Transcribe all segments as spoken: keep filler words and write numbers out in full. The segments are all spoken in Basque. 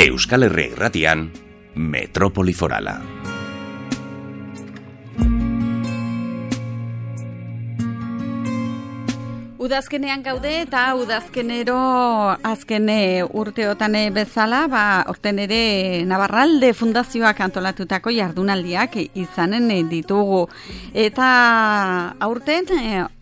Euskal Herria Irratian, Metropoli Forala. Udazkenean gaude eta udazkenero azken urteotan bezala, ba, orten ere Navarralde Fundazioak antolatutako jardunaldiak izanen ditugu. Eta aurten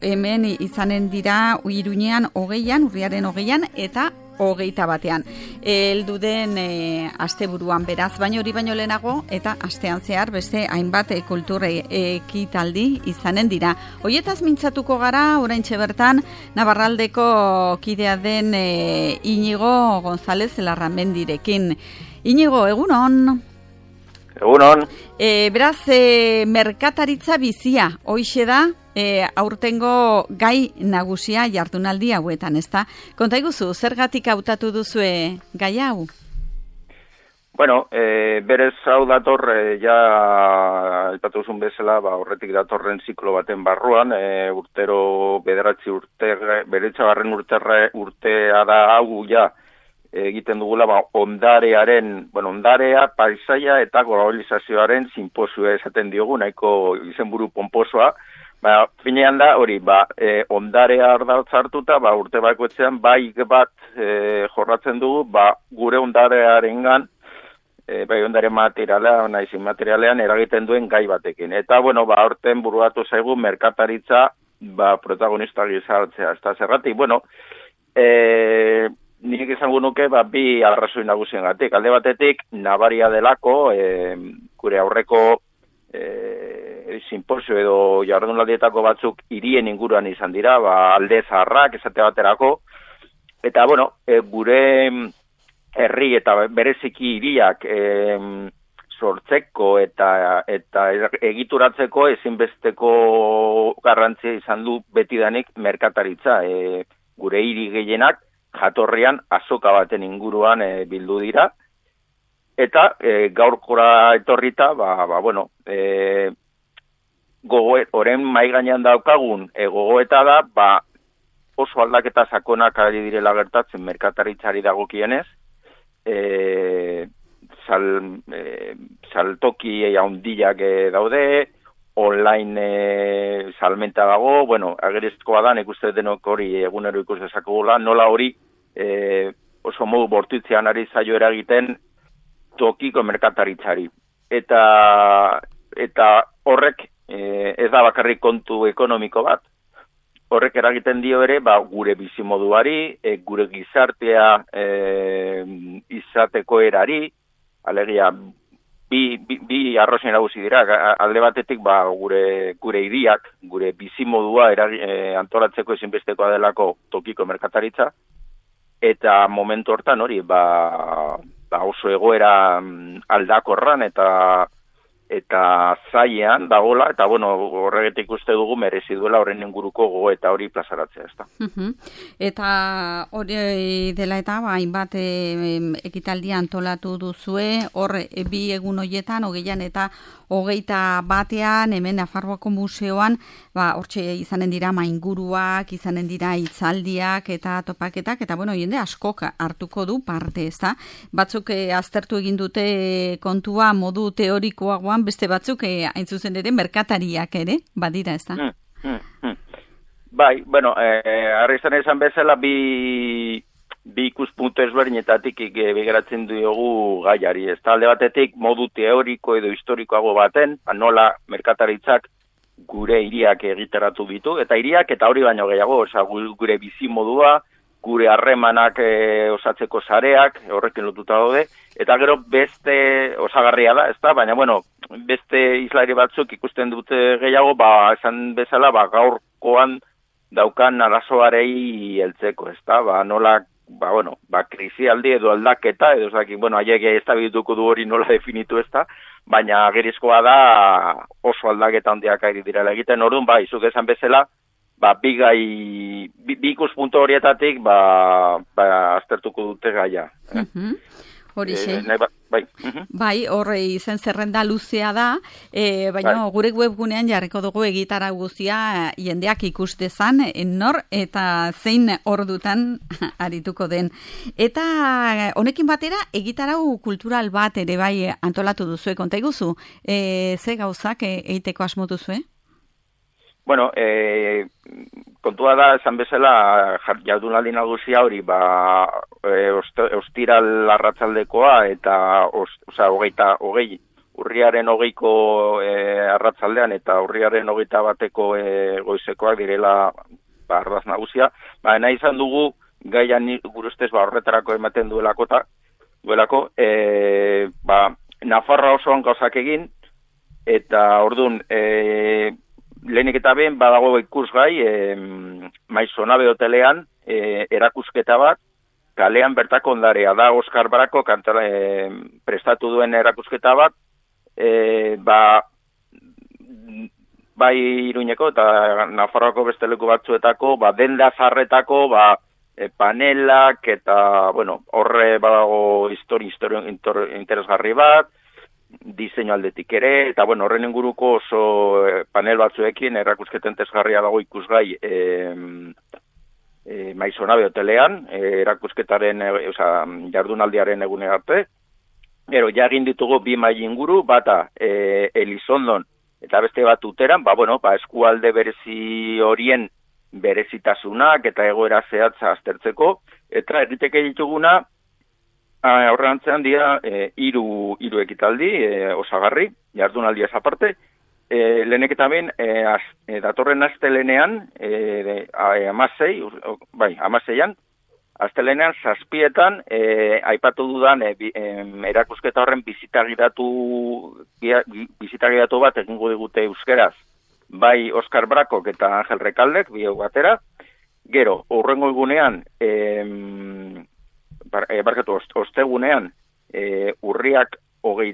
hemen izanen dira Iruñean hogeian, urriaren hogeian eta hogeita batean. Heldu den e, asteburuan beraz, baino hori baino lehenago eta astean zehar beste hainbat e, kultur ekitaldi izanen dira. Hoietaz mintzatuko gara, oraintxe bertan Navarraldeko kidea den e, Iñigo González Larramendirekin. Iñigo, egunon. Egunon. E, beraz, e, merkataritza bizia, hoixe da, E, aurtengo gai nagusia jardunaldi hauetan, ezta? Konta iguzu, zergatik hautatu duzue gai hau? Bueno, e, berez hau dator, e, ja aipatu duzun bezala, ba, horretik datorren ziklo baten barruan, e, urtero bederatzi urte, beretzagarren urterre, urtea da hau ja egiten dugula, ba, ondarearen, bueno, ondarea, paisaia eta globalizazioaren sinposioa esaten diogu, nahiko izenburu pomposoa. Ba, finean da, hori, ba, e, ondarea ardatz hartuta, ba, urte bakoitzean, bai bat e, jorratzen dugu, ba, gure ondarearengan, e, bai ondare materiala, naiz materialean eragiten duen gai batekin. Eta, bueno, ba, aurten buruatu zaigu merkataritza, ba, protagonista gizartzea. Eta zergatik, bueno, e, nik izango nuke, ba, bi arrazoi nagusiengatik. Alde batetik, nabaria delako, e, gure aurreko, e, sinposio edo jardunaldietako batzuk hirien inguruan izan dira, ba, alde zaharrak esate baterako, eta bueno, e, gure herri eta bereziki hiriak e, sortzeko eta eta egituratzeko ezinbesteko garrantzia izan du betidanik merkataritza. E, gure hiri gehienak jatorrian azoka baten inguruan e, bildu dira, eta e, gaurkora etorrita, ba, ba bueno, e, gogoet, oren mai gainean daukagun e, gogoeta da, ba, oso aldaketa sakonak ari direla gertatzen merkataritzari dagokienez, e, sal, e, saltoki handiak e, daude, online e, salmenta dago, bueno, agerizkoa da, nik uste denok hori egunero ikus dezakegula, nola hori e, oso modu bortitzean ari zaio eragiten tokiko merkataritzari. Eta, eta horrek e, ez da bakarrik kontu ekonomiko bat. Horrek eragiten dio ere, ba, gure bizimoduari, e, gure gizartea e, izateko erari, alegia, bi, bi, bi arrozen nagusi dira, alde batetik ba, gure, gure hiriak, gure bizimodua eragi, e, antolatzeko ezinbestekoa delako tokiko merkataritza, eta momentu hortan hori, ba, ba oso egoera aldakorran eta eta zailean dagola, eta bueno, horregetik uste dugu merezi duela horren inguruko gogo eta hori plazaratzea, ezta. Uh-huh. Eta hori dela eta hainbat e, ekitaldia antolatu duzue, hor e, bi egun hoietan, hogeian eta hogeita batean, hemen Nafarroako museoan, ba, hortxe izanen dira mainguruak, izanen dira hitzaldiak eta topaketak, eta bueno, jende askok hartuko du parte, ezta. Batzuk e, aztertu egin dute kontua modu teorikoagoan, beste batzuk eh, hain zuzen ere merkatariak ere, badira, ez da? Hmm, hmm, hmm. Bai, bueno, eh, arrizan esan bezala bi, bi ikuspuntu ezberdinetatik begiratzen diogu gaiari. Ez da, alde batetik modu teoriko edo historikoago baten, nola merkataritzak gure hiriak egiteratu ditu, eta hiriak eta hori baino gehiago, oza, gure bizimodua, gure harremanak e, osatzeko sareak, horrekin lotuta daude, eta gero beste osagarria da, ezta? Baina, bueno, beste islari batzuk ikusten dute gehiago, ba, esan bezala, ba, gaurkoan daukan arazoarei heltzeko, ezta? Ba, nola, ba, bueno, ba, krisialdi edo aldaketa, edo, zaki, bueno, haiek ez da bituko du hori nola definitu, ezta? Baina, gerizkoa da oso aldaketa handiak ari direla egiten, orduan, ba, izuk esan bezala, ba, bi gai, bi, bi ikuspuntu horietatik, ba, ba, aztertuko dute gaia. Eh? Uh-huh. Horixe. E, ba, bai. Bai, horre izen zerrenda luzea da, e, baina bai. Gure webgunean jarriko dugu egitarau guztia jendeak ikus dezan, nor eta zein ordutan arituko den. Eta honekin batera egitarau kultural bat ere bai antolatu duzue, konta iguzu, e, ze gauzak egiteko asmo duzue? Bueno, e, kontua da, esan bezala, jardunaldi nagusia hori, ba, e, ostiral arratzaldekoa, eta, os, oza, hogeita, hogei, urriaren hogeiko e, arratzaldean, eta urriaren hogeita bateko e, goizekoak direla, ba, ardaz nagusia. Ba, nahi izan dugu, gaian gure ustez, ba, horretarako ematen duelakota, duelako, e, ba, Nafarroa osoan gauzak egin, eta ordun, e, lehenik eta ben badago ikusgai e, Maizonabe hotelean e, erakusketa bat, kalean bertako ondarea da Oskar Brako kantara, e, prestatu duen erakusketa bat, e, ba, bai Iruñeko eta Nafarroako beste leku batzuetako, ba, denda zarretako, ba, e, panelak eta, bueno, horre badago histori, histori interesgarri bat, diseinu aldetik ere, eta bueno, horren inguruko oso panel batzuekin erakusketen tesgarria dago ikusgai e, e, Maizonabe hotelean, e, erakusketaren, e, oza, jardunaldiaren egune arte. Gero, ja egin ditugu bi mai inguru, bata e, Elizondon eta beste bat Uteran, ba, bueno, ba, eskualde berezi horien berezitasunak eta egoera zehatza aztertzeko, eta egiteke dituguna, Horren antzean dira e, iru, iru ekitaldi, e, osagarri, jardunaldia aparte. E, lehenek eta ben, e, az, e, datorren astelenean, e, amasei, bai, amaseian, astelenean zazpietan, e, aipatu dudan, e, e, erakusketa horren bizitagiratu, bizitagiratu bat egingo digute euskeraz, bai Oskar Brakok eta Angel Rekaldek, bi batera. Gero, horrengo egunean, e, Bar, e, barkatu, ostegunean, e, urriak hogei,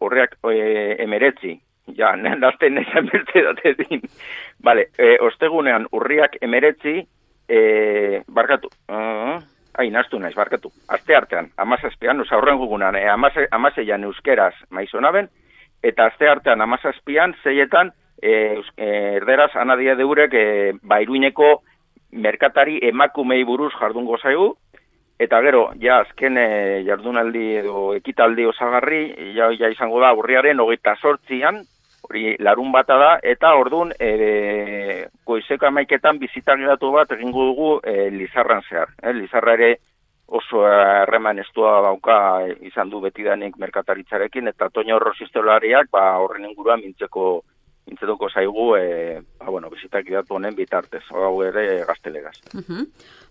urriak e, emeretzi, ja, nazten nesan berte dute din. Vale, e, ostegunean, urriak emeretzi, e, barkatu, uh, ai, naztu naiz, barkatu, aste artean, amazazpian, oza, horren gugunan, e, amaseian euskeraz Maizonaben, eta aste artean, amazazpian, zeietan, e, erderaz, anadia deurek, e, ba, Iruñeko merkatari emakumei buruz jardungo zaigu. Eta gero, ja, azken e, jardunaldi edo ekitaldi osagarri, ja, ja izango da urriaren hogeita sortzian, hori larun bata da, eta ordun e, goizeko amaiketan bizitagiratu bat egingo dugu e, Lizarran zehar. E, Lizarra ere oso harreman estua dauka izan du betidanik merkataritzarekin, eta Toño Rosistolariak ba, horren inguruan mintzeko Intzetuko zaigu, e, ba, bueno, bizitakidatu honen bitartez, hau ere gaztelegaz. Uh-huh.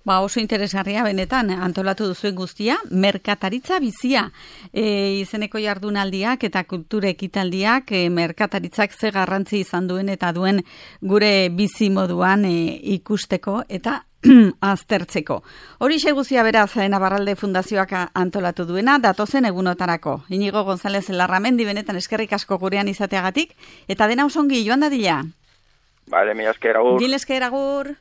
Ba, oso interesgarria benetan, antolatu duzuen guztia, merkataritza bizia. E, izeneko jardunaldiak eta kultura ekitaldiak, e, merkataritzak ze garrantzi izan duen eta duen gure bizi moduan e, ikusteko eta aztertzeko. Hori guztia beraz Navarralde Fundazioak antolatu duena, datozen egunotarako. Inigo González Larramendi benetan eskerrik asko gurean izateagatik, eta dena osongi joan dadila. Bale, mi esker agur. Gil esker agur.